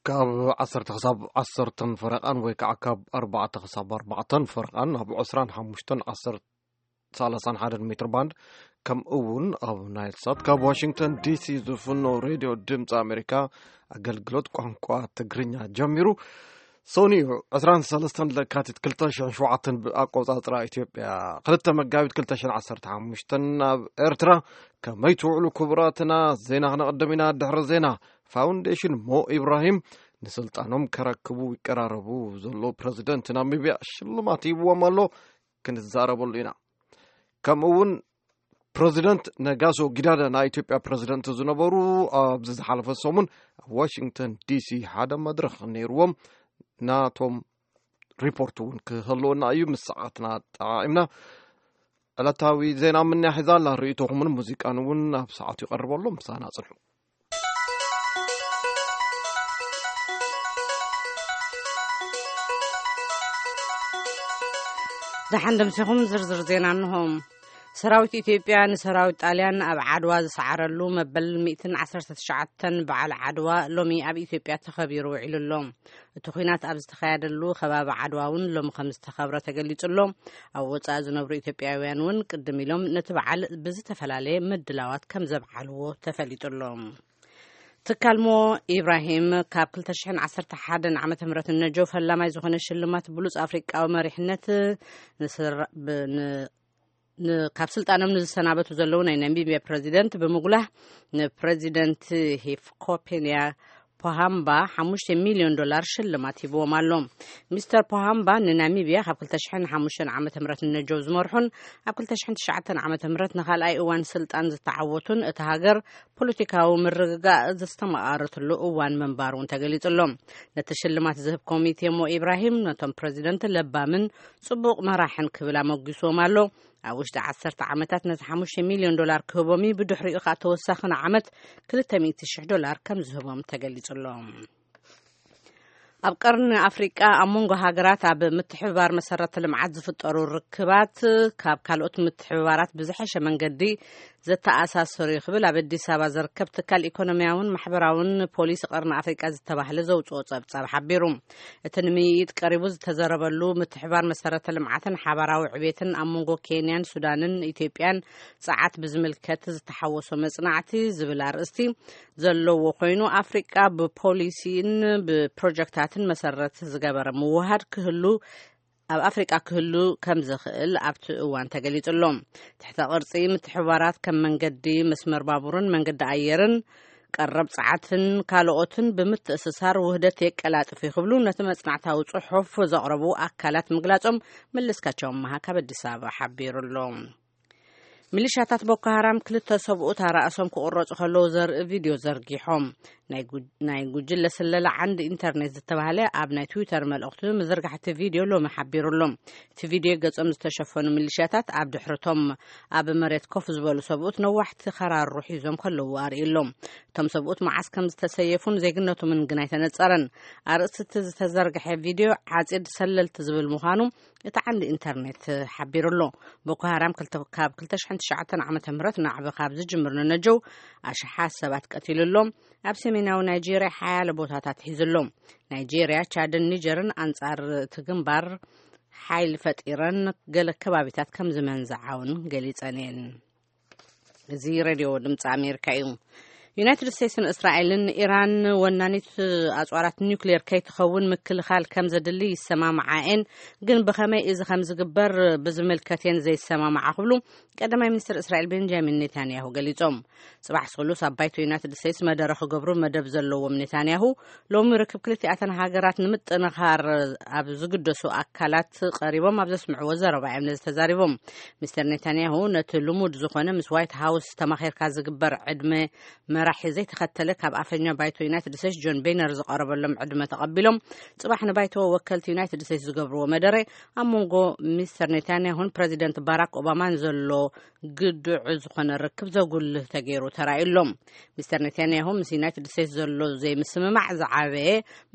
ካብ ዓሰርተ ክሳብ ዓሰርተን ፈረቓን ወይ ከዓ ካብ ኣርባዕተ ክሳብ ኣርባዕተን ፈረቓን ኣብ ዕስራን ሓሙሽተን ዓሰርተ ሰላሳን ሓደን ሜትር ባንድ፣ ከምኡ እውን ኣብ ናይል ሳት ካብ ዋሽንግተን ዲሲ ዝፍኖ ሬድዮ ድምፂ ኣሜሪካ ኣገልግሎት ቋንቋ ትግርኛ ጀሚሩ። ሰኑዩ ዕስራን ሰለስተን ለካቲት ክልተ ሽሕን ሸውዓተን ብኣቆፃፅራ ኢትዮጵያ፣ ክልተ መጋቢት ክልተ ሽሕን ዓሰርተ ሓሙሽተን ኣብ ኤርትራ ከመይ ትውዕሉ ክቡራትና? ዜና ክነቕድም ኢና። ድሕሪ ዜና፣ ፋውንዴሽን ሞ ኢብራሂም ንስልጣኖም ከረክቡ ይቀራረቡ ዘሎ ፕረዚደንት ናሚብያ ሽልማት ሂብዎም ኣሎ። ክንዛረበሉ ኢና። ከምኡ እውን ፕረዚደንት ነጋሶ ጊዳዳ ናይ ኢትዮጵያ ፕረዚደንት ዝነበሩ ኣብዚ ዝሓለፈ ሰሙን ኣብ ዋሽንግተን ዲሲ ሓደ መድረኽ ነይርዎም። ናቶም ሪፖርት እውን ክህልወና እዩ። ምስ ሰዓትና ጠዓዒምና ዕለታዊ ዜና ምንያ ሒዛ ኣላ። ርእይቶኹምን ሙዚቃን እውን ኣብ ሰዓቱ ይቐርበሎም። ምሳና ጽንሑ። ደሓን ደምሲኹም ዝርዝር ዜና እንሆ። ሰራዊት ኢትዮጵያ ንሰራዊት ጣልያን ኣብ ዓድዋ ዝሰዓረሉ መበል ሚእትን ዓሰርተ ትሽዓተን በዓል ዓድዋ ሎሚ ኣብ ኢትዮጵያ ተኸቢሩ ውዒሉ ኣሎ። እቲ ኲናት ኣብ ዝተኻየደሉ ከባቢ ዓድዋ እውን ሎሚ ከም ዝተኸብረ ተገሊጹ ኣሎ። ኣብ ወጻኢ ዝነብሩ ኢትዮጵያውያን እውን ቅድም ኢሎም ነቲ በዓል ብዝተፈላለየ ምድላዋት ከም ዘብዓልዎ ተፈሊጡ ኣሎ። ትካል ሞ ኢብራሂም ካብ ክልተ ሽሕን ዓሰርተ ሓደን ዓመተ ምህረት ንነጀው ፈላማይ ዝኾነ ሽልማት ብሉጽ ኣፍሪቃዊ መሪሕነት ንስራ-፣ ብ-፣ ን-፣ ን-፣ ካብ ስልጣኖም ንዝሰናበቱ ዘለዉ ናይ ናሚብያ ፕረዚደንት ብምጉላህ ንፕረዚደንት ሂፍኮፔንያ ፖሃምባ ሓሙሽተ ሚልዮን ዶላር ሽልማት ሂብዎም ኣሎ። ሚስተር ፖሃምባ ንናሚብያ ካብ ክልተ ሽሕን ሓሙሽተን ዓመተ ምህረት ንነጀው ዝመርሑን ኣብ ክልተ ሽሕን ትሽዓተን ዓመተ ምህረት ንኻልኣይ እዋን ስልጣን ዝተዓወቱን እታ ሃገር ፖለቲካዊ ምርግጋእ ዘስተማቓረትሉ እዋን ምንባሩ እውን ተገሊጹ ኣሎ። ነቲ ሽልማት ዝህብ ኮሚቴ ሞ ኢብራሂም ነቶም ፕረዚደንት ለባምን ጽቡቕ መራሕን ክብል ኣመጒስዎም ኣሎ። ኣብ ውሽጢ ዓሰርተ ዓመታት ነቲ ሓሙሽተ ሚልዮን ዶላር ክህቦም እዩ። ብድሕሪኡ ከኣ ተወሳኺ ንዓመት ክልተ ሚእቲ ሽሕ ዶላር ከም ዝህቦም ተገሊጹ ኣሎ። ኣብ ቀርኒ ኣፍሪቃ ኣብ መንጎ ሃገራት ኣብ ምትሕብባር መሰረተ ልምዓት ዝፍጠሩ ርክባት ካብ ካልኦት ምትሕብባራት ብዝሐሸ መንገዲ ዘተኣሳሰሩ እዩ ክብል ኣብ ኣዲስ ኣበባ ዝርከብ ትካል ኢኮኖሚያውን ማሕበራውን ፖሊሲ ቀርኒ ኣፍሪቃ ዝተባህለ ዘውፅኦ ጸብጻብ ሓቢሩ። እቲ ንምይይጥ ቀሪቡ ዝተዘረበሉ ምትሕብባር መሰረተ ልምዓትን ሓባራዊ ዕቤትን ኣብ መንጎ ኬንያን ሱዳንን ኢትዮጵያን ጸዓት ብዝምልከት ዝተሓወሶ መጽናዕቲ ዝብል ኣርእስቲ ዘለዎ ኮይኑ፣ ኣፍሪቃ ብፖሊሲን ብፕሮጀክታትን መሰረት ዝገበረ ምውሃድ ክህሉ ኣብ ኣፍሪቃ ክህሉ ከም ዝኽእል ኣብቲ እዋን ተገሊጹ ኣሎ። ትሕተ ቅርጺ ምትሕብባራት ከም መንገዲ መስመር ባቡርን መንገዲ ኣየርን ቀረብ ጸዓትን ካልኦትን ብምትእስሳር ውህደት የቀላጥፍ እዩ ክብሉ ነቲ መጽናዕታዊ ጽሑፍ ዘቕረቡ ኣካላት ምግላጾም መለስካቸው ኣመሃ ካብ ኣዲስ ኣበባ ሓቢሩ ኣሎ። ሚሊሻታት ቦኮ ሃራም ክልተ ሰብኡት ኣራእሶም ክቑረጹ ከለዉ ዘርኢ ቪድዮ ዘርጊሖም። ናይ ጉ-፣ ናይ ጉጅለ ስለላ ዓንዲ ኢንተርኔት ዝተባህለ ኣብ ናይ ትዊተር መልእኽቱ ምዝርጋሕ እቲ ቪድዮ ሎሚ ሓቢሩ ኣሎ። እቲ ቪድዮ ገጾም ዝተሸፈኑ ሚሊሻታት ኣብ ድሕርቶም ኣብ መሬት ኮፍ ዝበሉ ሰብኡት ነዋሕቲ ከራሩ ሒዞም ከለዉ ኣርእዩ ኣሎ። እቶም ሰብኡት መዓስ ከም ዝተሰየፉን ዜግነቶምን ግን ኣይተነጸረን። ኣርእስቲ እቲ ዝተዘርግሐ ቪድዮ ዓጺድ ሰለልቲ ዝብል ምዃኑ እቲ ዓንዲ ኢንተርኔት ሓቢሩ ኣሎ። ቦኮ ሃራም ክልተ-፣ ካብ ክልተ ሽሕን ትሽዓተን ዓመተ ምህረት ናዕቢ ካብ ዝጅምር ንነጀው ኣሽሓት ሰባት ቀቲሉ ኣሎ። ኣብ ሰሜናዊ ናይጄርያ ሓያለ ቦታታት ሒዙ ኣሎ። ናይጄርያ፣ ቻድን ኒጀርን ኣንጻር እቲ ግንባር ሓይሊ ፈጢረን ገለ ከባቢታት ከም ዝመንዝዓ እውን ገሊጸን እየን። እዚ ሬድዮ ድምፂ ኣሜሪካ እዩ። ዩናይትድ ስቴትስን እስራኤልን ኢራን ወናኒት ኣፅዋራት ኒውክሌር ከይትኸውን ምክልኻል ከም ዘድሊ ይሰማምዓ እየን፣ ግን ብኸመይ እዚ ከም ዝግበር ብዝምልከት እየን ዘይሰማምዓ ክብሉ ቀዳማይ ሚኒስትር እስራኤል ቤንጃሚን ኔታንያሁ ገሊጾም። ጽባሕ ስሉስ ኣብ ባይቶ ዩናይትድ ስቴትስ መደረ ክገብሩ መደብ ዘለዎም ኔታንያሁ ሎሚ ርክብ ክልቲኣተን ሃገራት ንምጥንኻር ኣብ ዝግደሱ ኣካላት ቀሪቦም ኣብ ዘስምዕዎ ዘረባ እዮም ነዚ ተዛሪቦም። ሚስተር ኔታንያሁ ነቲ ልሙድ ዝኾነ ምስ ዋይት ሃውስ ተማኺርካ ዝግበር ዕድመ መራሒ ዘይተኸተለ ካብ ኣፈኛ ባይቶ ዩናይትድ ስቴትስ ጆን ቤነር ዝቐረበሎም ዕድመ ተቐቢሎም፣ ጽባሕ ንባይቶ ወከልቲ ዩናይትድ ስቴትስ ዝገብርዎ መደረ ኣብ መንጎ ሚስተር ኔታንያሁን ፕረዚደንት ባራክ ኦባማን ዘሎ ግዱዕ ዝኾነ ርክብ ዘጉልህ ተገይሩ ተራእዩሎም። ሚስተር ኔታንያሁ ምስ ዩናይትድ ስቴትስ ዘሎ ዘይምስምማዕ ዝዓበየ፣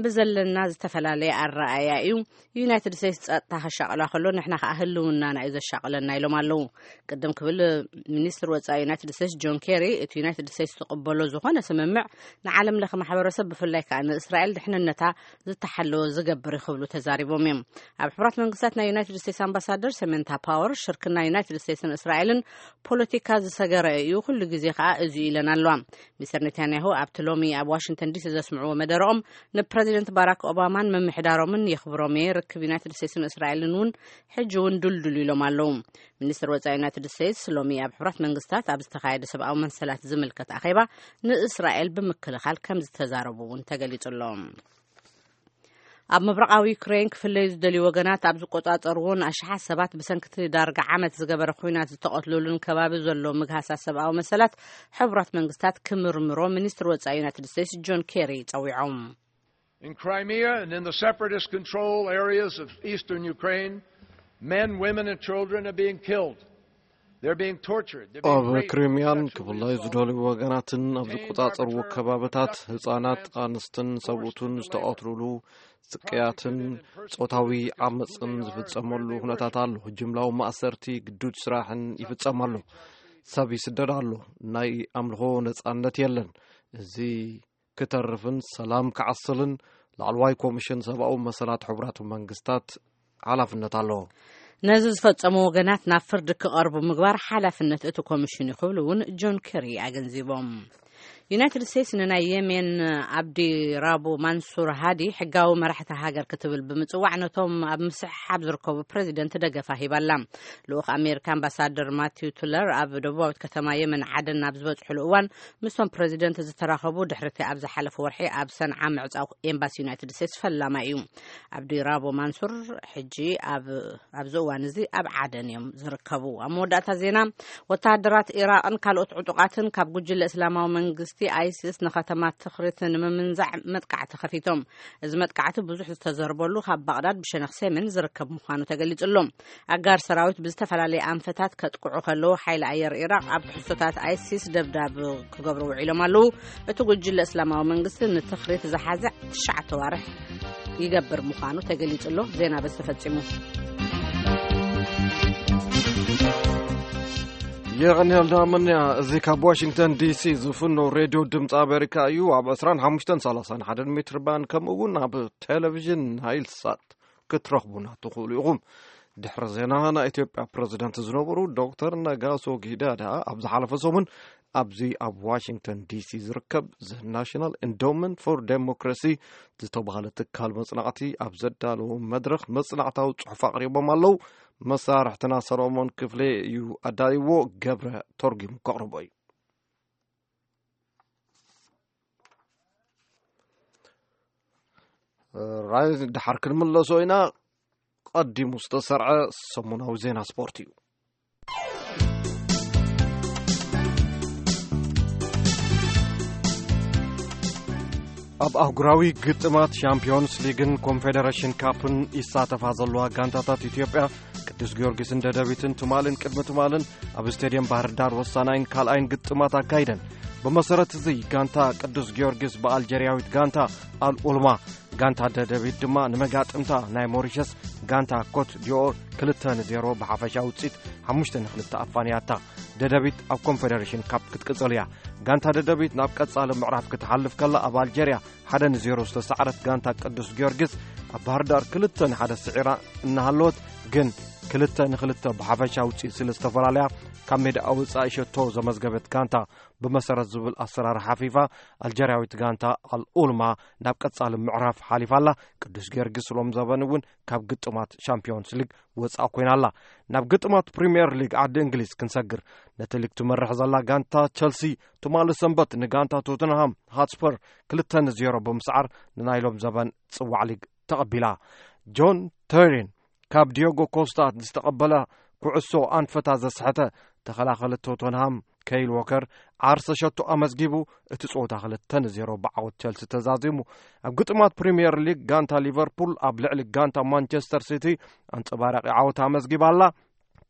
ብዘለና ዝተፈላለየ ኣረኣእያ እዩ። ዩናይትድ ስቴትስ ጸጥታ ከሻቕላ ከሎ፣ ንሕና ከኣ ህልውናና እዩ ዘሻቕለና፣ ኢሎም ኣለዉ። ቅድም ክብል፣ ሚኒስትር ወጻኢ ዩናይትድ ስቴትስ ጆን ኬሪ፣ እቲ ዩናይትድ ስቴትስ ትቕበሎ ዝኾነ ስምምዕ ንዓለም ለኸ ማሕበረሰብ፣ ብፍላይ ከኣ ንእስራኤል ድሕንነታ ዝተሓለወ ዝገብር እዩ ክብሉ ተዛሪቦም እዮም። ኣብ ሕቡራት መንግስታት ናይ ዩናይትድ ስቴትስ ኣምባሳደር ሰሜንታ ፓወር፣ ሽርክና ዩናይትድ ስቴትስን እስራኤልን ፖለቲካ ዝሰገረ እዩ፣ ኩሉ ግዜ ከኣ እዚ ኢለን ኣለዋ። ሚስተር ኔታንያሁ ኣብቲ ሎሚ ኣብ ዋሽንግተን ዲሲ ዘስምዕዎ መደረኦም፣ ንፕረዚደንት ባራክ ኦባማን ምምሕዳሮምን የኽብሮም እየ፣ ርክብ ዩናይትድ ስቴትስን እስራኤልን እውን ሕጂ እውን ድልዱል ኢሎም ኣለዉ። ሚኒስትር ወጻኢ ዩናይትድ ስቴትስ ሎሚ ኣብ ሕቡራት መንግስታት ኣብ ዝተኻየደ ሰብኣዊ መሰላት ዝምልከት ኣኼባ፣ ንእስራኤል ብምክልኻል ከም ዝተዛረቡ እውን ተገሊጹ ኣሎ። ኣብ ምብራቓዊ ዩክሬን ክፍለዩ ዝደልዩ ወገናት ኣብ ዝቆጻጸርዎን ኣሽሓት ሰባት ብሰንኪ እቲ ዳርጋ ዓመት ዝገበረ ኲናት ዝተቐትሉሉን ከባቢ ዘሎ ምግሃሳት ሰብኣዊ መሰላት ሕቡራት መንግስታት ክምርምሮ ሚኒስትር ወጻኢ ዩናይትድ ስቴትስ ጆን ኬሪ ጸዊዖም። In Crimea and in the separatist control areas of eastern Ukraine, men, women, and children are being killed. They're being tortured. They're being ኣብ raped ክሪሚያን sexually ክፍለዩ assaulted. ዝደልዩ ወገናትን ኣብ ዝቆጻጸርዎ ከባብታት ህጻናት፣ ኣንስትን ሰብኡትን ዝተቐትሉሉ ስቅያትን ጾታዊ ዓመጽን ዝፍጸመሉ ኩነታት ኣሎ። ጅምላዊ ማእሰርቲ፣ ግዱድ ስራሕን ይፍጸም ኣሎ። ሰብ ይስደድ ኣሎ። ናይ ኣምልኾ ነጻነት የለን። እዚ ክተርፍን ሰላም ክዓስልን ላዕለዋይ ኮሚሽን ሰብኣዊ መሰላት ሕቡራት መንግስታት ሓላፍነት ኣለዎ። ነዚ ዝፈጸሙ ወገናት ናብ ፍርዲ ክቐርቡ ምግባር ሓላፍነት እቲ ኮሚሽን እዩ ክብሉ እውን ጆን ኬሪ ኣገንዚቦም። ዩናይትድ ስቴትስ ንናይ የሜን ኣብዲ ራቡ ማንሱር ሃዲ ሕጋዊ መራሕቲ ሃገር ክትብል ብምጽዋዕ፣ ነቶም ኣብ ምስሕሓብ ዝርከቡ ፕረዚደንት ደገፋ ሂባላ። ልኡኽ ኣሜሪካ ኣምባሳደር ማቲው ቱለር ኣብ ደቡባዊት ከተማ የመን ዓደን ኣብ ዝበጽሕሉ እዋን፣ ምስቶም ፕረዚደንት ዝተራኸቡ ድሕሪ እቲ ኣብ ዝሓለፈ ወርሒ ኣብ ሰንዓ ምዕጻው ኤምባሲ ዩናይትድ ስቴትስ ፈላማ እዩ። ኣብዲ ራቦ ማንሱር ሕጂ ኣብ ኣብዚ እዋን እዚ ኣብ ዓደን እዮም ዝርከቡ። ኣብ መወዳእታ ዜና፣ ወተሃደራት ኢራቕን ካልኦት ዕጡቓትን ካብ ጉጅለ እስላማዊ መንግስቲ ኣይሲስ ንከተማ ትኽሪት ንምምንዛዕ መጥቃዕቲ ከፊቶም። እዚ መጥቃዕቲ ብዙሕ ዝተዘርበሉ ካብ ባቕዳድ ብሸነኽ ሰሜን ዝርከብ ምዃኑ ተገሊጹ ኣሎ። ኣጋር ሰራዊት ብዝተፈላለየ ኣንፈታት ከጥቅዑ ከለዉ፣ ሓይሊ ኣየር ኢራቕ ኣብ ትሕዝቶታት ኣይሲስ ደብዳብ ክገብሩ ውዒሎም ኣለዉ። እቲ ጉጅለ እስላማዊ መንግስቲ ንትኽሪት ዝሓዘ ትሽዓተ ዋርሕ ይገብር ምዃኑ ተገሊጹ ኣሎ። ዜና በዚ ተፈጺሙ። የቐንየልና መንያ። እዚ ካብ ዋሽንግተን ዲሲ ዝፍኖ ሬድዮ ድምፂ ኣሜሪካ እዩ። ኣብ ዕስራን ሓሙሽተን ሰላሳን ሓደን ሜትር ባንድ፣ ከምኡ እውን ኣብ ቴሌቪዥን ናይል ሳት ክትረኽቡና ትኽእሉ ኢኹም። ድሕሪ ዜና፣ ናይ ኢትዮጵያ ፕረዚደንት ዝነበሩ ዶክተር ነጋሶ ጊዳዳ ኣብ ዝሓለፈ ሰሙን ኣብዚ ኣብ ዋሽንግተን ዲሲ ዝርከብ The National Endowment for Democracy ዝተባህለ ትካል መጽናዕቲ ኣብ ዘዳለዎ መድረኽ መጽናዕታዊ ጽሑፍ ኣቕሪቦም ኣለዉ። መሳርሕትና ሰሎሞን ክፍሌ እዩ ኣዳልይዎ፣ ገብረ ተርጒሙ ከቕርቦ እዩ። ራይ፣ ደሓር ክንምለሶ ኢና። ቀዲሙ ዝተሰርዐ ሰሙናዊ ዜና ስፖርት እዩ። ኣብ ኣህጉራዊ ግጥማት ሻምፒዮንስ ሊግን ኮንፌደሬሽን ካፕን ይሳተፋ ዘለዋ ጋንታታት ኢትዮጵያ ቅዱስ ጊዮርጊስን ደደቢትን ትማልን ቅድሚ ትማልን ኣብ ስቴድየም ባህር ዳር ወሳናይን ካልኣይን ግጥማት ኣካይደን። ብመሰረት እዚ፣ ጋንታ ቅዱስ ጊዮርጊስ ብኣልጀርያዊት ጋንታ ኣልኡልማ፣ ጋንታ ደደቢት ድማ ንመጋጥምታ ናይ ሞሪሸስ ጋንታ ኮት ዲኦር ክልተ ንዜሮ ብሓፈሻ ውፅኢት ሓሙሽተ ንክልተ ኣፋንያታ። ደደቢት ኣብ ኮንፌደሬሽን ካፕ ክትቅፅል እያ። ጋንታ ደደቢት ናብ ቀፃሊ ምዕራፍ ክትሓልፍ ከላ፣ ኣብ ኣልጀርያ ሓደ ንዜሮ ዝተሰዓረት ጋንታ ቅዱስ ጊዮርጊስ ኣብ ባህር ዳር ክልተ ንሓደ ስዒራ እናሃለወት፣ ግን ክልተ ንክልተ ብሓፈሻ ውፅኢት ስለ ዝተፈላለያ፣ ካብ ሜዳ ወፃኢ ሸቶ ዘመዝገበት ጋንታ ብመሰረት ዝብል ኣሰራርሓ ፊፋ፣ ኣልጀርያዊት ጋንታ ኣልኡልማ ናብ ቀጻሊ ምዕራፍ ሓሊፋ ኣላ። ቅዱስ ጊዮርጊስ ሎም ዘበን እውን ካብ ግጥማት ሻምፒዮንስ ሊግ ወጻእ ኮይና ኣላ። ናብ ግጥማት ፕሪምየር ሊግ ዓዲ እንግሊዝ ክንሰግር፣ ነቲ ሊግ ትመርሕ ዘላ ጋንታ ቸልሲ ትማሊ ሰንበት ንጋንታ ቶተንሃም ሃትስፐር ክልተ ንዜሮ ብምስዓር ንናይ ሎም ዘበን ጽዋዕ ሊግ ተቐቢላ። ጆን ተሪን ካብ ዲዮጎ ኮስታ ዝተቐበለ ኩዕሶ ኣንፈታ ዘስሐተ ተኸላኸሊ ቶተንሃም ከይል ዎከር ዓርሰ ሸቶ ኣመዝጊቡ፣ እቲ ጸወታ ክልተ ንዜሮ ብዓወት ቸልሲ ተዛዚሙ። ኣብ ግጥማት ፕሪምየር ሊግ፣ ጋንታ ሊቨርፑል ኣብ ልዕሊ ጋንታ ማንቸስተር ሲቲ ኣንጸባራቂ ዓወት ኣመዝጊባ ኣላ።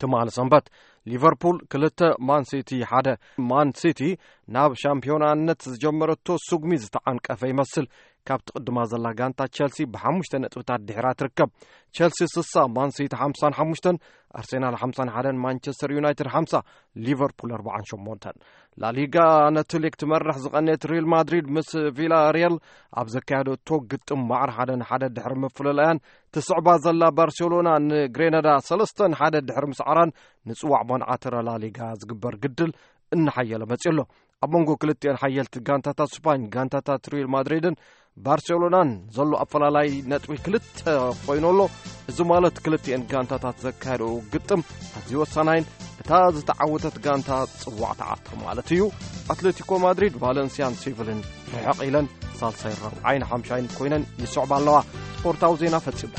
ትማሊ ሰንበት፣ ሊቨርፑል ክልተ፣ ማን ሲቲ ሓደ። ማን ሲቲ ናብ ሻምፒዮናነት ዝጀመረቶ ስጉሚ ዝተዓንቀፈ ይመስል። ካብቲ ቅድማ ዘላ ጋንታ ቸልሲ ብሓሙሽተ ነጥብታት ድሒራ ትርከብ። ቸልሲ ስሳ፣ ማን ሲቲ ሓምሳን ሓሙሽተን፣ ኣርሴናል ሓምሳን ሓደን፣ ማንቸስተር ዩናይትድ ሓምሳ፣ ሊቨርፑል ኣርባዓን ሸሞንተን። ላሊጋ ነቲ ሊግ ትመርሕ ዝቐነየት ሪል ማድሪድ ምስ ቪላ ሪየል ኣብ ዘካየደቶ ግጥም ማዕር ሓደ ንሓደ ድሕሪ ምፍልላያን፣ ትስዕባ ዘላ ባርሴሎና ንግሬናዳ ሰለስተ ንሓደ ድሕሪ ምስዓራን፣ ንጽዋዕ መወዳእታ ላሊጋ ዝግበር ግድል እናሓየለ መጺኡ ኣሎ። ኣብ መንጎ ክልቲኤን ሓየልቲ ጋንታታት ስፓኝ፣ ጋንታታት ሪል ማድሪድን ባርሴሎናን ዘሎ ኣፈላላይ ነጥቢ ክልተ ኮይኑ ኣሎ። እዚ ማለት ክልቲኤን ጋንታታት ዘካየደኡ ግጥም ኣዝዩ ወሳናይን እታ ዝተዓወተት ጋንታ ጽዋዕ ትዓትር ማለት እዩ። ኣትሌቲኮ ማድሪድ፣ ቫለንሲያን ሴቪልን ርሕቕ ኢለን ሳልሳይን ራብዓይን ሓምሻይን ኮይነን ይስዕባ ኣለዋ። ስፖርታዊ ዜና ፈጺሙ።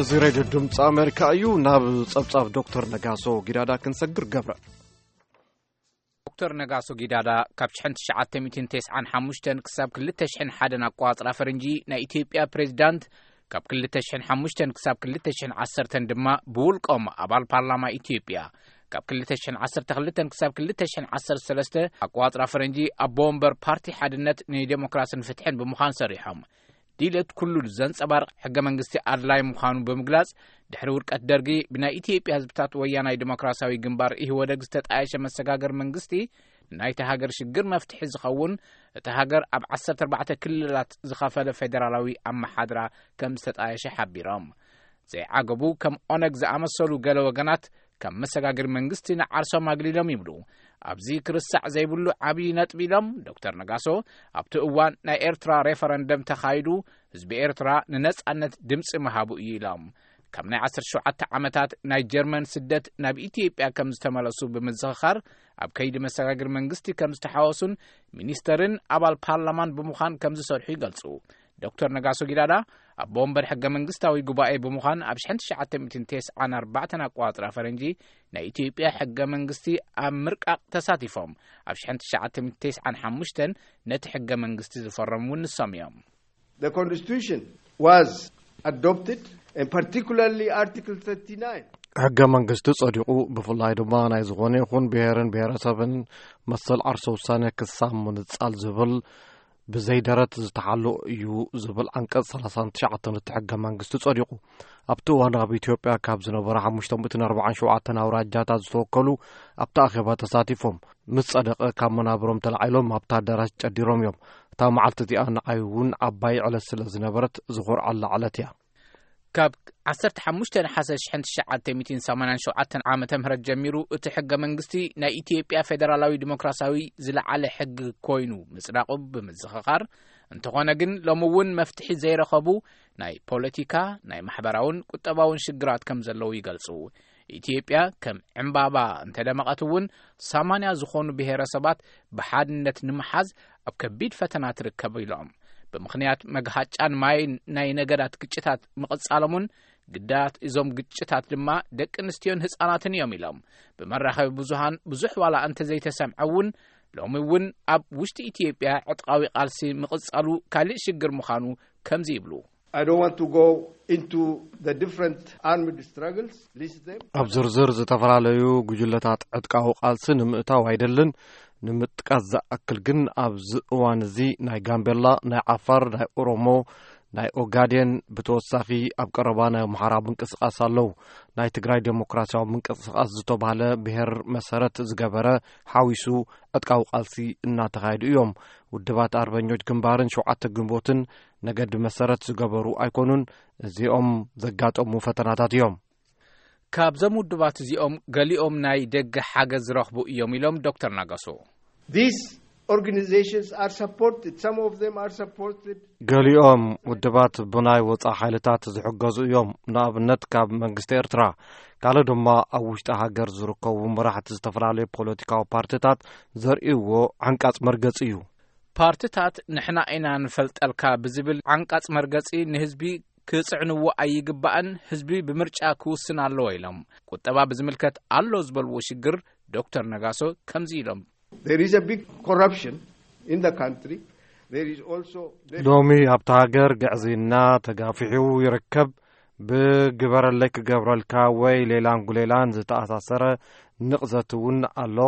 እዚ ሬድዮ ድምፂ ኣሜሪካ እዩ። ናብ ጸብጻብ ዶክተር ነጋሶ ጊዳዳ ክንሰግር ገብረ። ዶክተር ነጋሶ ጊዳዳ ካብ ሽሕን ትሽዓተ ሚእትን ተስዓን ሓሙሽተን ክሳብ ክልተ ሽሕን ሓደን ኣቋጽራ ፈረንጂ ናይ ኢትዮጵያ ፕሬዚዳንት፣ ካብ ክልተ ሽሕን ሓሙሽተን ክሳብ ክልተ ሽሕን ዓሰርተን ድማ ብውልቆም ኣባል ፓርላማ ኢትዮጵያ፣ ካብ ክልተ ሽሕን ዓሰርተ ክልተን ክሳብ ክልተ ሽሕን ዓሰርተ ሰለስተ ኣቋጽራ ፈረንጂ ኣቦ ወንበር ፓርቲ ሓድነት ንዴሞክራስን ፍትሕን ብምዃን ሰሪሖም። ድሌት ኩሉ ዘንጸባርቕ ሕገ መንግስቲ ኣድላይ ምዃኑ ብምግላጽ፣ ድሕሪ ውድቀት ደርጊ ብናይ ኢትዮጵያ ህዝብታት ወያናይ ዲሞክራሲያዊ ግንባር ኢህወደግ ዝተጣየሸ መሰጋገር መንግስቲ ናይታ ሃገር ሽግር መፍትሒ ዝኸውን፣ እታ ሃገር ኣብ ዓሰርተ ኣርባዕተ ክልላት ዝኸፈለ ፌደራላዊ ኣመሓድራ ከም ዝተጣየሸ ሓቢሮም። ዘይዓገቡ ከም ኦነግ ዝኣመሰሉ ገለ ወገናት ከም መሰጋገሪ መንግስቲ ንዓርሶም ኣግሊሎም ይብሉ። ኣብዚ ክርሳዕ ዘይብሉ ዓብዪ ነጥቢ ኢሎም ዶክተር ነጋሶ፣ ኣብቲ እዋን ናይ ኤርትራ ሬፈረንደም ተኻይዱ፣ ህዝቢ ኤርትራ ንነጻነት ድምጺ ምሃቡ እዩ ኢሎም። ካብ ናይ ዓሰርተ ሸውዓተ ዓመታት ናይ ጀርመን ስደት ናብ ኢትዮጵያ ከም ዝተመለሱ ብምዝኽኻር፣ ኣብ ከይዲ መሰጋገሪ መንግስቲ ከም ዝተሓወሱን ሚኒስተርን ኣባል ፓርላማን ብምዃን ከም ዝሰርሑ ይገልጹ። ዶክተር ነጋሶ ጊዳዳ ኣቦ ወንበር ሕገ መንግስታዊ ጉባኤ ብምዃን ኣብ ሽሕን ትሽዓተ ሚእትን ተስዓን ኣርባዕተን ኣቋጽራ ፈረንጂ ናይ ኢትዮጵያ ሕገ መንግስቲ ኣብ ምርቃቕ ተሳቲፎም። ኣብ ሽሕን ትሽዓተ ሚእትን ተስዓን ሓሙሽተን ነቲ ሕገ መንግስቲ ዝፈረሙ እውን ንሶም እዮም። The constitution was adopted, and particularly Article thirty-nine. ሕገ መንግስቲ ጸዲቑ፣ ብፍላይ ድማ ናይ ዝኾነ ይኹን ብሔርን ብሔረሰብን መሰል ዓርሰ ውሳኔ ክሳብ ምንጻል ዝብል ብዘይ ደረት ዝተሓሎ እዩ ዝብል ዓንቀጽ ሰላሳን ትሽዓተን እቲ ሕገ መንግስቲ ጸዲቑ። ኣብቲ እዋን ኣብ ኢትዮጵያ ካብ ዝነበሩ ሓሙሽተ ሚእትን ኣርባዓን ሸውዓተን ኣውራጃታት ዝተወከሉ ኣብቲ ኣኼባ ተሳቲፎም። ምስ ጸደቐ ካብ መናብሮም ተላዒሎም ኣብታ ኣዳራሽ ጨዲሮም እዮም። እታ መዓልቲ እዚኣ ንዓይ እውን ዓባይ ዕለት ስለ ዝነበረት ዝኾርዓላ ዕለት እያ። ካብ ዓሰርተ ሓሙሽተ ነሓሰ ሽሕን ትሽዓተ ሚእትን ሰማንያን ሸውዓተን ዓመተ ምህረት ጀሚሩ እቲ ሕገ መንግስቲ ናይ ኢትዮጵያ ፌደራላዊ ዲሞክራሲያዊ ዝለዓለ ሕጊ ኮይኑ ምጽዳቑ ብምዝኽኻር፣ እንተኾነ ግን ሎሚ እውን መፍትሒ ዘይረኸቡ ናይ ፖለቲካ፣ ናይ ማሕበራውን ቁጠባውን ሽግራት ከም ዘለዉ ይገልጹ። ኢትዮጵያ ከም ዕምባባ እንተደመቐት እውን፣ ሰማንያ ዝኾኑ ብሄረሰባት ብሓድነት ንምሓዝ ኣብ ከቢድ ፈተና ትርከብ ኢሎም። ብምኽንያት መግሃጫን ማይ ናይ ነገዳት ግጭታት ምቕጻሎምን፣ ግዳያት እዞም ግጭታት ድማ ደቂ ኣንስትዮን ህጻናትን እዮም ኢሎም። ብመራኸቢ ብዙሃን ብዙሕ ዋላ እንተዘይተሰምዐ እውን፣ ሎሚ እውን ኣብ ውሽጢ ኢትዮጵያ ዕጥቃዊ ቃልሲ ምቕጻሉ ካልእ ሽግር ምዃኑ ከምዚ ይብሉ። I don't want to go into the different armed struggles, list them. ኣብ ዝርዝር ዝተፈላለዩ ጉጅለታት ዕጥቃዊ ቃልሲ ንምእታው ኣይደልን። ንምጥቃስ ዝኣክል ግን፣ ኣብዚ እዋን እዚ ናይ ጋምቤላ፣ ናይ ዓፋር፣ ናይ ኦሮሞ፣ ናይ ኦጋዴን፣ ብተወሳኺ ኣብ ቀረባ ናይ ኣምሓራ ምንቅስቓስ ኣለዉ። ናይ ትግራይ ዴሞክራሲያዊ ምንቅስቓስ ዝተባህለ ብሔር መሰረት ዝገበረ ሓዊሱ ዕጥቃዊ ቃልሲ እናተኻየዱ እዮም። ውድባት ኣርበኞች ግንባርን ሸውዓተ ግንቦትን ነገዲ መሰረት ዝገበሩ ኣይኮኑን። እዚኦም ዘጋጠሙ ፈተናታት እዮም። ካብዞም ውድባት እዚኦም ገሊኦም ናይ ደገ ሓገዝ ዝረኽቡ እዮም ኢሎም ዶክተር ናጋሶ። These organizations are supported, some of them are supported. ገሊኦም ውድባት ብናይ ወጻኢ ሓይልታት ዝሕገዙ እዮም። ንኣብነት ካብ መንግስቲ ኤርትራ፣ ካልእ ድማ ኣብ ውሽጢ ሃገር ዝርከቡ መራሕቲ ዝተፈላለዩ ፖለቲካዊ ፓርቲታት ዘርእይዎ ዓንቃጽ መርገጺ እዩ። ፓርቲታት ንሕና ኢና ንፈልጠልካ ብዝብል ዓንቃጽ መርገጺ ንህዝቢ ክጽዕንዎ ኣይግባእን፣ ህዝቢ ብምርጫ ክውስን ኣለዎ ኢሎም። ቁጠባ ብዝምልከት ኣሎ ዝበልዎ ሽግር ዶክተር ነጋሶ ከምዚ ኢሎም። There is a big corruption in the country. There is also ሎሚ ኣብቲ ሃገር ግዕዝይና ተጋፊሑ ይርከብ። ብግበረለይ ክገብረልካ ወይ ሌላን ጉሌላን ዝተኣሳሰረ ንቕዘት እውን ኣሎ።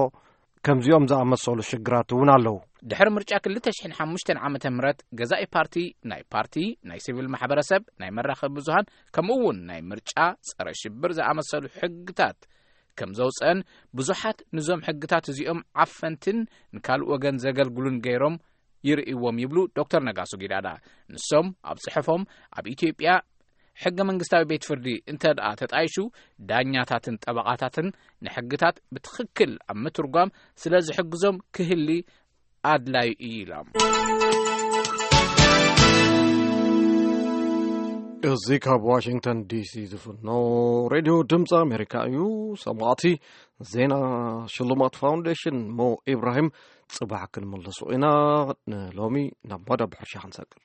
ከምዚኦም ዝኣመሰሉ ሽግራት እውን ኣለዉ። ድሕሪ ምርጫ ክልተ ሽሕን ሓሙሽተን ዓመተ ምህረት ገዛኢ ፓርቲ፣ ናይ ፓርቲ፣ ናይ ሲቪል ማሕበረሰብ፣ ናይ መራኸቢ ብዙሃን፣ ከምኡ እውን ናይ ምርጫ፣ ጸረ ሽብር ዝኣመሰሉ ሕግታት ከም ዘውፀአን፣ ብዙሓት ንዞም ሕግታት እዚኦም ዓፈንትን ንካልእ ወገን ዘገልግሉን ገይሮም ይርእይዎም ይብሉ ዶክተር ነጋሶ ጊዳዳ። ንሶም ኣብ ጽሑፎም፣ ኣብ ኢትዮጵያ ሕገ መንግስታዊ ቤት ፍርዲ እንተ ደኣ ተጣይሹ፣ ዳኛታትን ጠበቓታትን ንሕግታት ብትኽክል ኣብ ምትርጓም ስለ ዝሕግዞም ክህሊ ኣድላዩ እዩ ኢሎም። እዚ ካብ ዋሽንግተን ዲሲ ዝፍኖ ሬድዮ ድምፂ ኣሜሪካ እዩ። ሰማዕቲ፣ ዜና ሽልማት ፋውንዴሽን ሞ ኢብራሂም ጽባሕ ክንምልሶ ኢና። ንሎሚ ናብ መደብ ሕርሻ ክንሰግር።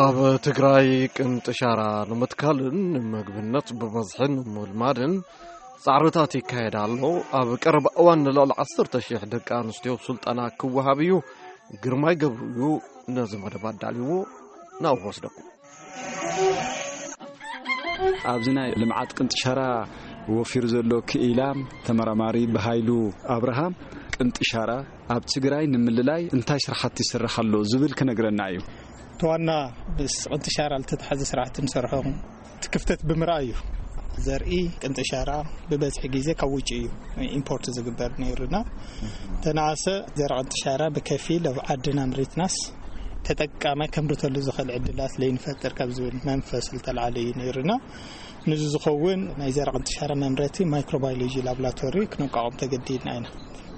ኣብ ትግራይ ቅንጥሻራ ንምትካልን ንምግብነት ብበዝሒ ንምልማድን ጻዕርታት ይካየድ ኣሎ። ኣብ ቀረባ እዋን ንልዕሊ ዓሰርተ ሽሕ ደቂ ኣንስትዮ ስልጠና ክወሃብ እዩ። ግርማይ ገብሩ እዩ ነዚ መደብ ኣዳልይዎ። ናብ ወስደኩም። ኣብዚ ናይ ልምዓት ቅንጥሻራ ወፊሩ ዘሎ ክኢላ ተመራማሪ ብሃይሉ ኣብርሃም፣ ቅንጥሻራ ኣብ ትግራይ ንምልላይ እንታይ ስራሕቲ ይስራሕ ኣሎ ዝብል ክነግረና እዩ። ተዋና ምስ ቅንጥሻራ ዝተተሓዘ ስራሕቲ ንሰርሖ እቲ ክፍተት ብምርኣይ እዩ። ዘርኢ ቅንጥሻራ ብበዝሒ ግዜ ካብ ውጭ እዩ ኢምፖርት ዝግበር ነይሩና። ተናኣሰ ዘርኢ ቅንጥሻራ ብከፊል ኣብ ዓድና ምሪትናስ ተጠቃማይ ከምርተሉ ዝኽእል ዕድላት ለይንፈጥር ካብ ዝብል መንፈስ ዝተልዓለ እዩ ነይሩና። ንዚ ዝኸውን ናይ ዘርኢ ቅንጥሻራ መምረቲ ማይክሮባዮሎጂ ላብራቶሪ ክነቋቋም ተገዲድና ኢና።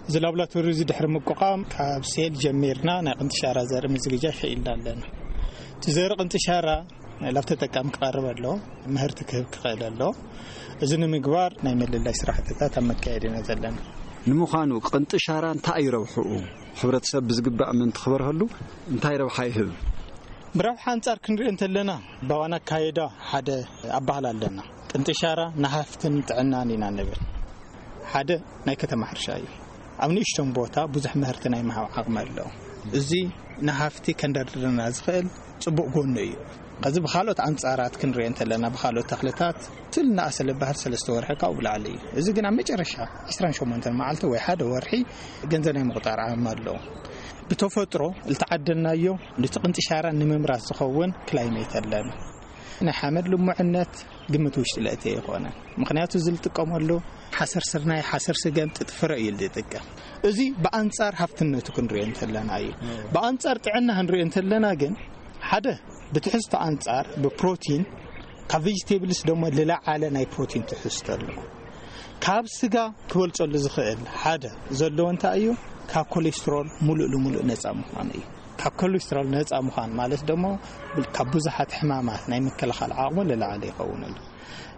እዚ ላብራቶሪ እዚ ድሕሪ ምቋቋም ካብ ሴል ጀሚርና ናይ ቅንጥሻራ ዘርኢ ምዝግጃ ክኢልና ኣለና። እቲ ዘርኢ ቅንጥሻራ ላብ ተጠቃሚ ክቐርብ ኣሎ፣ ምህርቲ ክህብ ክኽእል ኣሎ። እዚ ንምግባር ናይ ምልላይ ስራሕትታት ኣብ መካየድ ኢና ዘለና። ንምዃኑ ቅንጥሻራ እንታይ እዩ ረብሕኡ? ሕብረተሰብ ብዝግባእ ምእንቲ ክበርሀሉ እንታይ ረብሓ ይህብ? ብረብሓ ኣንጻር ክንሪኦ እንተለና፣ ባዋና ካየዳ ሓደ ኣባህላ ኣለና። ቅንጥሻራ ንሃፍትን ጥዕናን ኢና ንብል። ሓደ ናይ ከተማ ሕርሻ እዩ። ኣብ ንእሽቶን ቦታ ብዙሕ ምህርቲ ናይ ምሃብ ዓቕሚ ኣለዎ። እዚ ንሃፍቲ ከንደርድረና ዝኽእል ጽቡቕ ጎኑ እዩ። ከዚ ብኻልኦት ኣንጻራት ክንሪኦ እንተለና፣ ብኻልኦት ተኽልታት ትል ንኣሰለ ባህር ሰለስተ ወርሒ ካብኡ ብላዕሊ እዩ። እዚ ግን ኣብ መጨረሻ ዕስራን ሸሞንተን መዓልቲ ወይ ሓደ ወርሒ ገንዘብ ናይ ምቑጣር ዓቕሚ ኣለዎ። ብተፈጥሮ ዝተዓደልናዮ ነቲ ቅንጥሻራ ንምምራት ዝኸውን ክላይሜት ኣለና። ናይ ሓመድ ልሙዕነት ግምት ውሽጢ ለእቲ ኣይኾነን። ምኽንያቱ እዚ ዝጥቀመሉ ሓሰር ስርናይ፣ ሓሰር ስገም፣ ጥጥፍረ እዩ ዝጥቀም። እዚ ብኣንጻር ሃፍትነቱ ክንሪኦ እንተለና እዩ። ብኣንጻር ጥዕና ክንሪኦ እንተለና ግን ሓደ ብትሕዝቶ ኣንጻር ብፕሮቲን ካብ ቬጅቴብልስ ደሞ ዝለዓለ ናይ ፕሮቲን ትሕዝቶ ኣሎ። ካብ ስጋ ክበልጸሉ ዝኽእል ሓደ ዘለዎ እንታይ እዩ? ካብ ኮሌስትሮል ሙሉእ ልሙሉእ ነጻ ምዃን እዩ። ካብ ኮሌስትሮል ነጻ ምዃን ማለት ደሞ ካብ ብዙሓት ሕማማት ናይ ምክልኻል ዓቕሙ ልላዕለ ይኸውን ኣሎ።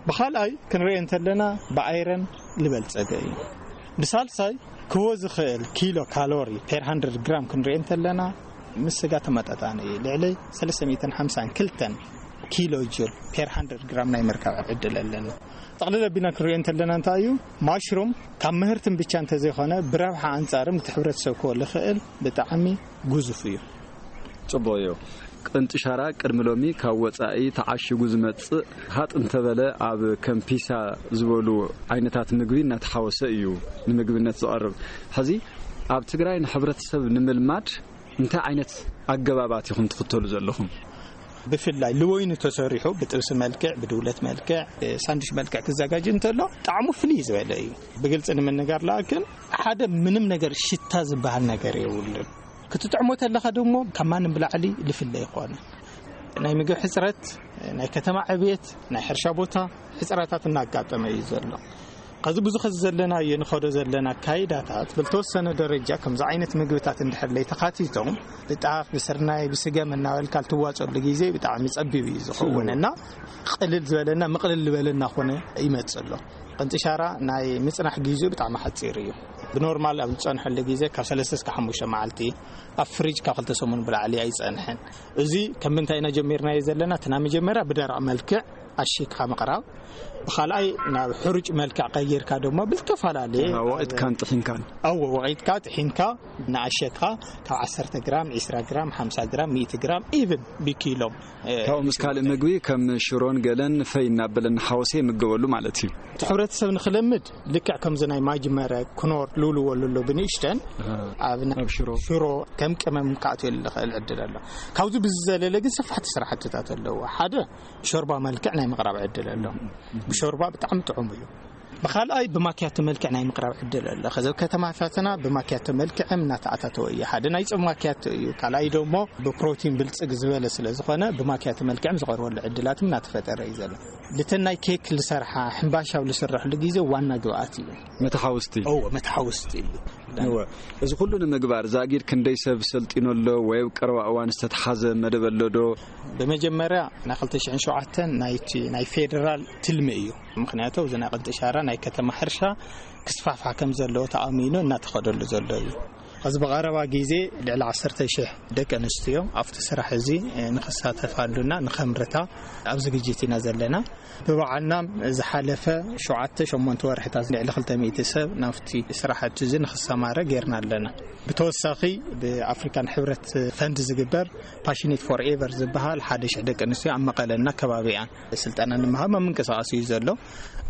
ብኻልኣይ ክንሪኦ እንተለና ብኣይረን ዝበልጸገ እዩ። ብሳልሳይ ክቦ ዝኽእል ኪሎ ካሎሪ ፔር ሃንድረድ ግራም ክንሪኦ እንተለና ምስ ስጋ ተመጣጣኒ እዩ። ልዕሊ ሰለስተ ሚእትን ሓምሳን ክልተን ኪሎ ጁል ፔር ሃንድረድ ግራም ናይ ምርካብ ዕድል ኣለና። ጠቕልል ኣቢልና ክንሪኦ እንተለና እንታይ እዩ? ማሽሩም ካብ ምህርትን ብቻ እንተዘይኮነ ብረብሓ ኣንጻርም እቲ ሕብረተሰብ ክወ ልኽእል ብጣዕሚ ግዙፍ እዩ። ጽቡቕ እዩ። ቅንጥሻራ ቅድሚ ሎሚ ካብ ወጻኢ ተዓሽጉ ዝመጽእ ሃጥ እንተበለ ኣብ ከም ፒሳ ዝበሉ ዓይነታት ምግቢ እናተሓወሰ እዩ ንምግብነት ዝቐርብ። ሕዚ ኣብ ትግራይ ንሕብረተሰብ ንምልማድ እንታይ ዓይነት ኣገባባት ኢኹም ትኽተሉ ዘለኹም? ብፍላይ ልወይኑ ተሰሪሑ ብጥብሲ መልክዕ፣ ብድውለት መልክዕ፣ ብሳንዱሽ መልክዕ ክዘጋጅ እንተሎ ጣዕሙ ፍልይ ዝበለ እዩ። ብግልፂ ንምንጋር ለኣክን ሓደ ምንም ነገር ሽታ ዝበሃል ነገር የብሉን። ክትጥዕሞ ተለኻ ደሞ ካብ ማንም ብላዕሊ ልፍለ ይኾነ። ናይ ምግብ ሕፅረት፣ ናይ ከተማ ዕብየት፣ ናይ ሕርሻ ቦታ ሕፅረታት እናጋጠመ እዩ ዘሎ። ከዚ ብዙ ኸዚ ዘለናዮ ንኸዶ ዘለና ኣካይዳታት ብልተወሰነ ደረጃ ከምዚ ዓይነት ምግብታት እንድሕር ለይተኻቲቶም ብጣፍ ብስርናይ ብስገም እናበልካ ልትዋፀሉ ግዜ ብጣዕሚ ጸቢብ እዩ ዝኸውን እና ቅልል ዝበለና ምቕልል ዝበለና ኮነ ይመጽእ ኣሎ። ቅንጥሻራ ናይ ምጽናሕ ግዜኡ ብጣዕሚ ሓጺር እዩ። ብኖርማል ኣብ ዝጸንሐሉ ግዜ ካብ ሰለስተ እስከ ሓሙሽተ መዓልቲ ኣብ ፍሪጅ ካብ ክልተ ሰሙን ብላዕሊ ኣይጸንሕን። እዚ ከም ምንታይ ኢና ጀሚርናዮ ዘለና? እቲ ናይ መጀመርያ ብደረቕ መልክዕ ኣሺግካ ምቕራብ፣ ብኻልኣይ ናብ ሕሩጭ መልክዕ ቀይርካ ድማ ብልተፈላለየ ወቒጥካን ጥሒንካን። ኣዎ፣ ወቒጥካ ጥሒንካ ንኣሸግካ ካብ ዓሰርተ ግራም፣ ዒስራ ግራም፣ ሓምሳ ግራም፣ ሚእቲ ግራም ኢቭን ብኪሎም ካብኡ ምስ ካልእ ምግቢ ከም ሽሮን ገለን ፈይ እናበለ እናሓወሰ ይምገበሉ ማለት እዩ። እቲ ሕብረተሰብ ንክለምድ ልክዕ ከምዚ ናይ ማጅመረ ክኖር ልውልዎ ኣሎ ብንእሽተን ኣብ ሽሮ ከም ቅመም ክኣትወሉ ዝኽእል ዕድል ኣሎ። ካብዚ ብዝዘለለ ግን ሰፋሕቲ ስራሕትታት ኣለዎ። ሓደ ሾርባ መልክዕ ናይ ምቕራብ ዕድል ኣሎ። ብሾርባ ብጣዕሚ ጥዑም እዩ። ብኻልኣይ ብማኪያቶ መልክዕ ናይ ምቕራብ ዕድል ኣሎ። ከዚ ኣብ ከተማታትና ብማኪያቶ መልክዕም እናተኣታተወ እዩ። ሓደ ናይ ጾም ማኪያቶ እዩ። ካልኣይ ደሞ ብፕሮቲን ብልጽግ ዝበለ ስለ ዝኾነ ብማኪያቶ መልክዕም ዝቐርበሉ ዕድላትም እናተፈጠረ እዩ ዘሎ። ልተን ናይ ኬክ ልሰርሓ ሕምባሻው ልስረሕሉ ግዜ ዋና ግብኣት እዩ። መተሓውስቲ። እዎ፣ መተሓውስቲ እዩ። እወ፣ እዚ ኩሉ ንምግባር ዛጊድ ክንደይ ሰብ ሰልጢኑ ኣሎ ወይ ኣብ ቀረባ እዋን ዝተተሓዘ መደብ ኣሎ ዶ? ብመጀመርያ ናይ ክልተ ሽሕን ሸውዓተን ናይቲ ናይ ፌደራል ትልሚ እዩ። ምክንያቱ እዚ ናይ ቅንጥሻራ ናይ ከተማ ሕርሻ ክስፋሕፋሕ ከም ዘለዎ ተኣሚኑ እናተኸደሉ ዘሎ እዩ። እዚ ብቐረባ ግዜ ልዕሊ ዓሰርተ ሽሕ ደቂ ኣንስትዮ ኣብቲ ስራሕ እዚ ንክሳተፋሉና ንኸምርታ ኣብ ዝግጅት ኢና ዘለና። ብበዓልና ዝሓለፈ ሸውዓተ ሸሞንተ ወርሕታት ልዕሊ ክልተ ሚእቲ ሰብ ናብቲ ስራሕቲ እዚ ንክሰማረ ጌርና ኣለና። ብተወሳኺ ብኣፍሪካን ሕብረት ፈንድ ዝግበር ፓሽኔት ፎር ኤቨር ዝበሃል ሓደ ሽሕ ደቂ ኣንስትዮ ኣብ መቐለና ከባቢኣን ስልጠና ንምሃብ ኣብ ምንቅስቃስ እዩ ዘሎ።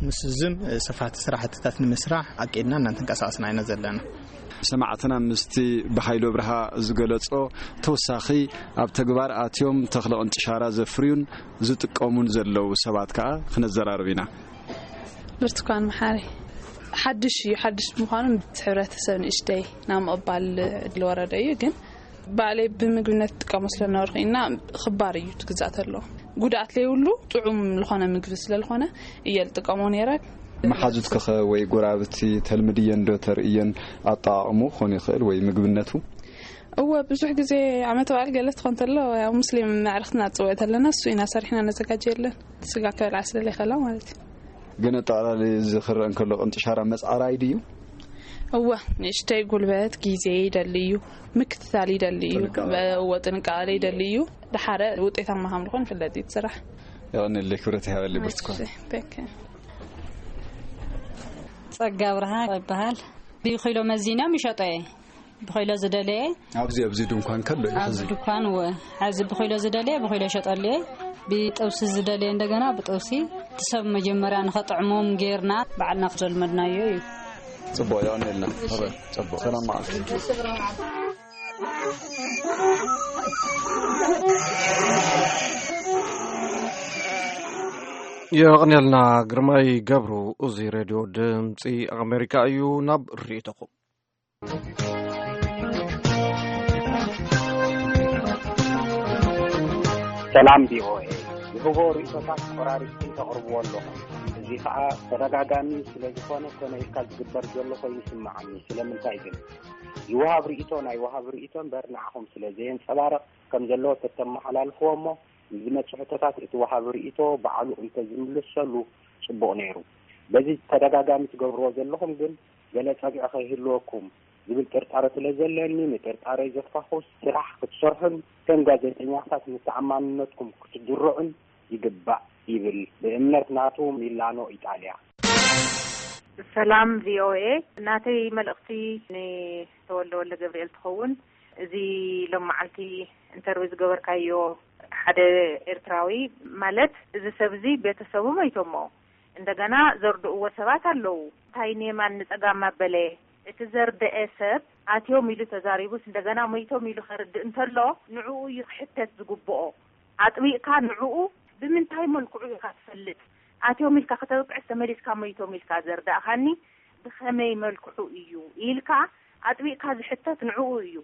ምስ ዝም ሰፋሕቲ ስራሕትታት ንምስራሕ ኣቂድና እናተንቀሳቀስና ኢና ዘለና። ሰማዕትና ምስቲ ብሓይሎ ብርሃ ዝገለጾ ተወሳኺ ኣብ ተግባር ኣትዮም ተኽለ ቅንጥሻራ ዘፍርዩን ዝጥቀሙን ዘለዉ ሰባት ከኣ ክነዘራርብ ኢና። ብርቱኳን መሓሪ ሓድሽ እዩ። ሓድሽ ብምዃኑ እቲ ሕብረተሰብ ንእሽተይ ናብ ምቕባል ዝወረደ እዩ። ግን ባዕለይ ብምግብነት ጥቀሞ ስለነበርኩ ኢና ክባር እዩ ትግዛእ ተሎ ጉድኣት ለይብሉ ጥዑም ዝኾነ ምግቢ ስለዝኾነ እየ ልጥቀሞ ነይረ። መሓዙትክኸ ወይ ጎራብቲ ተልምድየን ዶ ተርእየን ኣጠቓቕሙ ክኾን ይኽእል ወይ ምግብነቱ? እወ፣ ብዙሕ ግዜ ዓመት በዓል ገለ ትኾን ተሎ ያው ሙስሊም መዕርኽትና ትፅውዕ ተለና እሱ ኢና ሰሪሕና ነዘጋጀየለን ስጋ ክበልዓ ስለለይኸላ ማለት እዩ። ግን ኣጠቓላሊ እዚ ክረአ እንከሎ ቅንጥሻራ መፅዓራይ ድዩ? እወ፣ ንእሽተይ ጉልበት ግዜ ይደሊ እዩ። ምክትታል ይደሊ እዩ። ጥንቃቐ። እወ፣ ጥንቃቐ ይደሊ እዩ። ድሓረ ውጤታማ ከም ዝኾን ይፍለጥ እዩ እቲ ስራሕ። የቐንየለይ፣ ክብረት ይሃበለይ ብርቱኳን። እሺ፣ በቃ። ጸጋ ብርሃን ይበሃል። ብኪሎ መዚኖም ይሸጦ እየ። ብኪሎ ዝደለየ ኣብዚ ኣብዚ ድንኳን ከሎ እዩ ኣብዚ ሕዚ። ድኳን እወ፣ ሕዚ ብኪሎ ዝደለየ ብኪሎ ይሸጠሉ እየ። ብጥብሲ ዝደለየ እንደገና ብጥብሲ እቲ ሰብ መጀመርያ ንኸጥዕሞም ጌርና ባዕልና ክዘልመድናዮ እዩ። ጽቡቕ፣ የቐንየልና። ጽቡቕ። ሰላም መዓልቲ። የቐንየልና ግርማይ ገብሩ። እዚ ሬድዮ ድምፂ ኣሜሪካ እዩ። ናብ ርእይቶኹም። ሰላም ቪኦኤ፣ ዝህቦ ርእይቶታት ቆራሪጽኩም ተቕርብዎ ኣለኹም። እዚ ኸኣ ተደጋጋሚ ስለ ዝኾነ ኮነ ኢልካ ዝግበር ዘሎ ኮይኑ ይስምዓኒ። ስለምንታይ ግን? ይወሃብ ርእይቶ ናይ ወሃቢ ርእይቶ እምበር ንዓኹም ስለ ዘየንጸባርቕ ከም ዘለዎ ተተመሓላልፍዎ እሞ ንዝመጽእ ሕቶታት እቲ ወሃቢ ርእይቶ ባዕሉ እንተዝምልሰሉ ጽቡቕ ነይሩ። በዚ ተደጋጋሚ ትገብርዎ ዘለኹም ግን ገለ ጸግዒ ከይህልወኩም ዝብል ጥርጣረ ስለ ዘለኒ፣ ንጥርጣረይ ዘፋኹስ ስራሕ ክትሰርሑን ከም ጋዜጠኛታት ንተኣማንነትኩም ክትድርዑን ይግባእ ይብል ብእምነት ናቱ ሚላኖ ኢጣልያ። ሰላም ቪኦኤ፣ ናተይ መልእኽቲ ንተወልደ ወልደ ገብርኤል ትኸውን። እዚ ሎም መዓልቲ ኢንተርቪው ዝገበርካዮ ሓደ ኤርትራዊ ማለት እዚ ሰብ እዚ ቤተሰቡ መይቶሞ እንደገና ዘርድእዎ ሰባት ኣለዉ። እንታይ ንየማን ንጸጋም ኣበለ እቲ ዘርደኤ ሰብ ኣትዮም ኢሉ ተዛሪቡስ እንደገና መይቶም ኢሉ ከርድእ እንተሎ ንዕኡ እዩ ክሕተት ዝግብኦ። ኣጥቢቕካ ንዕኡ ብምንታይ መልክዑ ኢኻ ትፈልጥ? ኣትዮም ኢልካ ከተብቅዕስ ተመሊስካ መይቶም ኢልካ ዘርዳእኻኒ ብኸመይ መልክዑ እዩ ኢልካ ኣጥቢቕካ ዝሕተት ንዕኡ እዩ።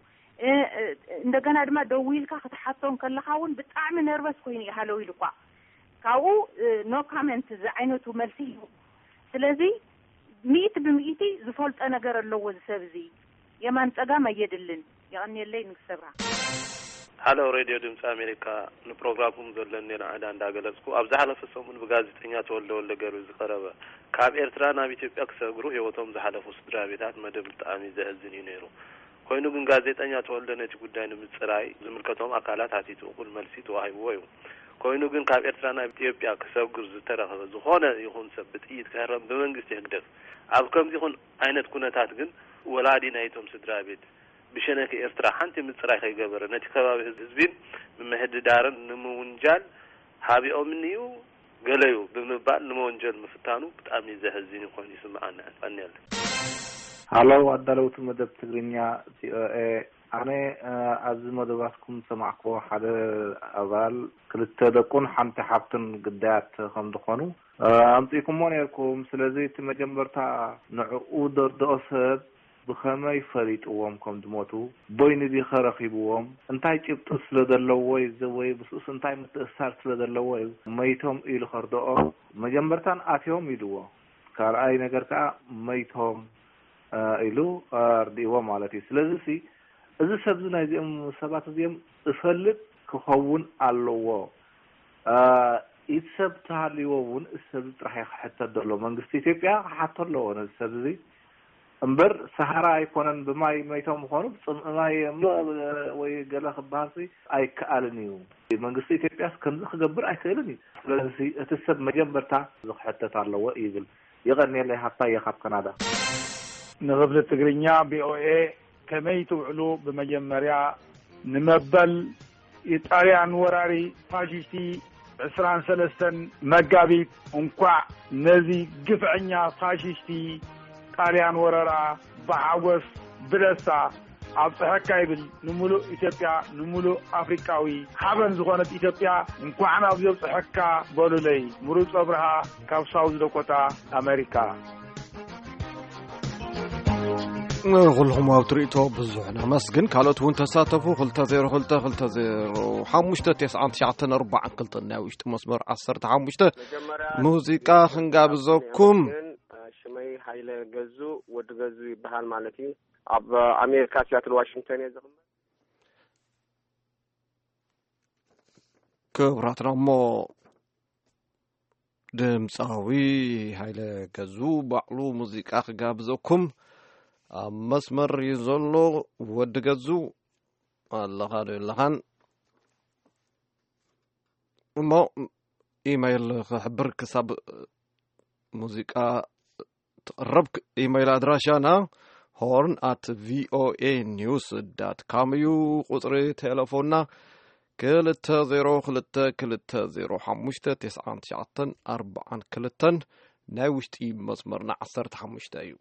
እንደገና ድማ ደዊልካ ክትሓቶ እንከለኻ እውን ብጣዕሚ ነርቨስ ኮይኑ እዩ ሃለው ኢሉ እኳ ካብኡ ኖ ካመንት ዝዓይነቱ መልሲ እዩ። ስለዚ ሚእቲ ብሚእቲ ዝፈልጦ ነገር ኣለዎ እዚ ሰብ እዚ። የማን ጸጋም ኣየድልን። የቐንየለይ ንግስተ ብርሃን። ሃሎ ሬድዮ ድምፂ ኣሜሪካ፣ ንፕሮግራምኩም ዘለኒ ንዕዳ እንዳገለጽኩ፣ ኣብ ዝሓለፈ ሰሙን ብጋዜጠኛ ተወልደ ወልደ ገርቢ ዝቐረበ ካብ ኤርትራ ናብ ኢትዮጵያ ክሰግሩ ህይወቶም ዝሓለፉ ስድራ ቤታት መደብ ብጣዕሚ ዘሕዝን እዩ ነይሩ። ኮይኑ ግን ጋዜጠኛ ተወልደ ነቲ ጉዳይ ንምፅራይ ዝምልከቶም ኣካላት ሓቲቱ እኹል መልሲ ተዋሂብዎ እዩ። ኮይኑ ግን ካብ ኤርትራ ናብ ኢትዮጵያ ክሰግር ዝተረኸበ ዝኾነ ይኹን ሰብ ብጥይት ክህረም ብመንግስቲ ህግደፍ ኣብ ከምዚ ይኹን ዓይነት ኩነታት ግን ወላዲ ናይቶም ስድራ ቤት ብሸነክ ኤርትራ ሓንቲ ምፅራይ ከይገበረ ነቲ ከባቢ ህዝቢን ምምህድዳርን ንምውንጃል ሃቢኦምኒ እዩ ገለዩ ብምባል ንመወንጀል ምፍታኑ ብጣዕሚ ዘሕዝን ኮይኑ ይስምዓኒ። ቀንየለይ። ሃሎ ኣዳለውቲ መደብ ትግርኛ ቪኦኤ፣ ኣነ ኣብዚ መደባትኩም ዝሰማዕክዎ ሓደ ኣባል ክልተ ደቁን ሓንቲ ሓብትን ግዳያት ከም ዝኾኑ ኣምፂእኩሞ ነርኩም። ስለዚ እቲ መጀመርታ ንዕኡ ደርድኦ ሰብ ብኸመይ ፈሊጥዎም ከም ዝሞቱ፣ ቦይኒ ዲኸ ረኺብዎም፣ እንታይ ጭብጢ ስለ ዘለዎ እዩ፣ ወይ ምስኡስ እንታይ ምትእስሳር ስለ ዘለዎ እዩ መይቶም ኢሉ ከርድኦ፣ መጀመርታን ኣትዮም ኢልዎ፣ ካልኣይ ነገር ከዓ መይቶም ኢሉ ኣርድእዎ ማለት እዩ። ስለዚ ሲ እዚ ሰብዚ ናይዚኦም ሰባት እዚኦም እፈልጥ ክኸውን ኣለዎ። ኢድ ሰብ ተሃልይዎ እውን እዚ ሰብ ጥራሕ እዩ ክሕተት ዘሎ። መንግስቲ ኢትዮጵያ ክሓቶ ኣለዎ ነዚ ሰብ እዚ እምበር፣ ሰሃራ ኣይኮነን ብማይ መይቶም ምኾኑ፣ ብፅምኢ ማይ ወይ ገለ ክበሃል ሲ ኣይከኣልን እዩ። መንግስቲ ኢትዮጵያስ ከምዚ ክገብር ኣይክእልን እዩ። ስለዚ እቲ ሰብ መጀመርታ እዚ ክሕተት ኣለዎ ይብል። የቐንየለይ። ሃብታየ ካብ ካናዳ። ንክፍሊ ትግርኛ ቪኦኤ ከመይ ትውዕሉ? ብመጀመርያ ንመበል የጣልያን ወራሪ ፋሽሽቲ ዕስራን ሰለስተን መጋቢት እንኳዕ ነዚ ግፍዐኛ ፋሽሽቲ ጣልያን ወረራ ብሓጎስ ብደስታ ኣብፀሐካ ይብል። ንምሉእ ኢትዮጵያ፣ ንምሉእ ኣፍሪቃዊ ሓበን ዝኾነት ኢትዮጵያ እንኳዕ ናብዚ ኣብፀሐካ በሉለይ። ምሩፅ ኣብርሃ ካብ ሳውዝ ዳኮታ ኣሜሪካ። ንኹልኹም ኣብ ትርኢቶ ብዙሕ ነመስግን። ካልኦት እውን ተሳተፉ። ክልተ ዜሮ ክልተ ክልተ ዜሮ ሓሙሽተ ተስዓን ትሽዓተን ኣርባዓን ክልተን ናይ ውሽጢ መስመር ዓሰርተ ሓሙሽተ ሙዚቃ ክንጋብዘኩም። ሽመይ ሃይለ ገዙ፣ ወዲ ገዙ ይበሃል ማለት እዩ። ኣብ ኣሜሪካ ሲያትል ዋሽንግተን እየ ዝቕመጥ። ክቡራትና እሞ ድምፃዊ ሃይለ ገዙ ባዕሉ ሙዚቃ ክጋብዘኩም ኣብ መስመር እዩ ዘሎ። ወዲ ገዙ ኣለኻ ዶ የለኻን? እሞ ኢመይል ክሕብር ክሳብ ሙዚቃ ትቕረብ። ኢመይል ኣድራሻና ሆርን ኣት ቪኦኤ ኒውስ ዳት ካም እዩ። ቁፅሪ ቴሌፎንና ክልተ ዜሮ ክልተ ክልተ ዜሮ ሓሙሽተ ተስዓን ትሽዓተን ኣርባዓን ክልተን፣ ናይ ውሽጢ መስመርና ዓሰርተ ሓሙሽተ እዩ።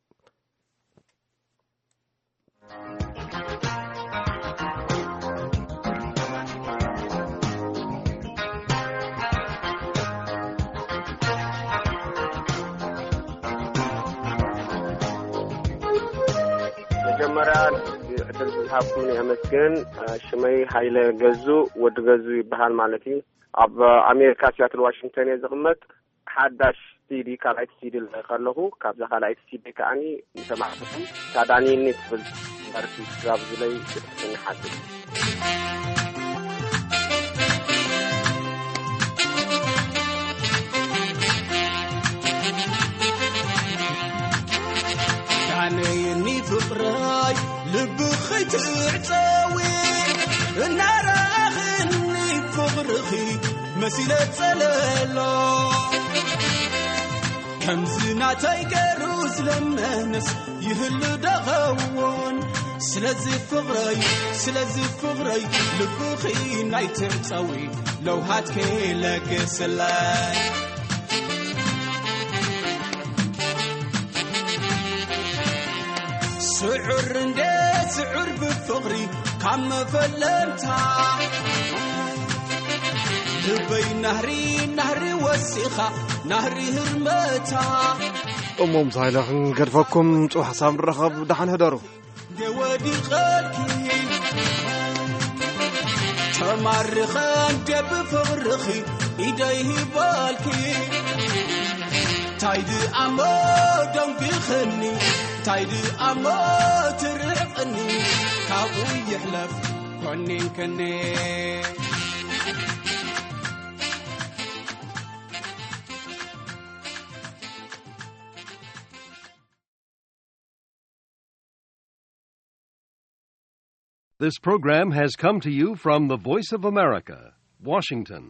መጀመርያ ዕድል ዝሃብኩምኒ የመስግን። ሽመይ ሃይለ ገዙ፣ ወዲ ገዙ ይበሃል ማለት እዩ። ኣብ ኣሜሪካ ሲያትል ዋሽንግተን እየ ዝቕመጥ። ሓዳሽ ሲዲ፣ ካልኣይቲ ሲዲ ለኺ ከለኹ፣ ካብዛ ካልኣይቲ ሲዲ ከዓኒ ንሰማዕትኹም ሳዳኒኒ ትብል ደርፊ ትጋብዙለይ ክትሕትን ንሓትት። ዳነየኒ ፍቕረይ ልብኺ ትዕጸዊ እናረኣኽኒ ፍቕርኺ መሲለ ጸለሎ። ከምዚ ናተይ ገሩ ዝለመነስ ይህሉ ደኸውን? ስለዚ ፍቕረይ፣ ስለዚ ፍቕረይ ልብኺ ናይ ትዕጸዊ ለውሃትኪ ለግስለይ። ስዑር እንደ ስዑር ብፍቕሪ ካብ መፈለምታ ልበይ ናህሪ ናህሪ ወሲኻ ናህሪ ህርመታ። እሞ ምስ ሃይለ ክንገድፈኩም፣ ጽባሕ ሳብ ንራኸብ፣ ደሓን ህደሩ። እንደ ወዲቐልኪ ተማርኸ እንደ ብፍቕርኺ ኢደይ ሂበልኪ። እንታይ ድኣሞ ደንጒኽኒ፣ እንታይ ድኣሞ ትርሕቕኒ፣ ካብኡ ይሕለፍ ኮኒንክኒ። This program has come to you from the Voice of America, Washington.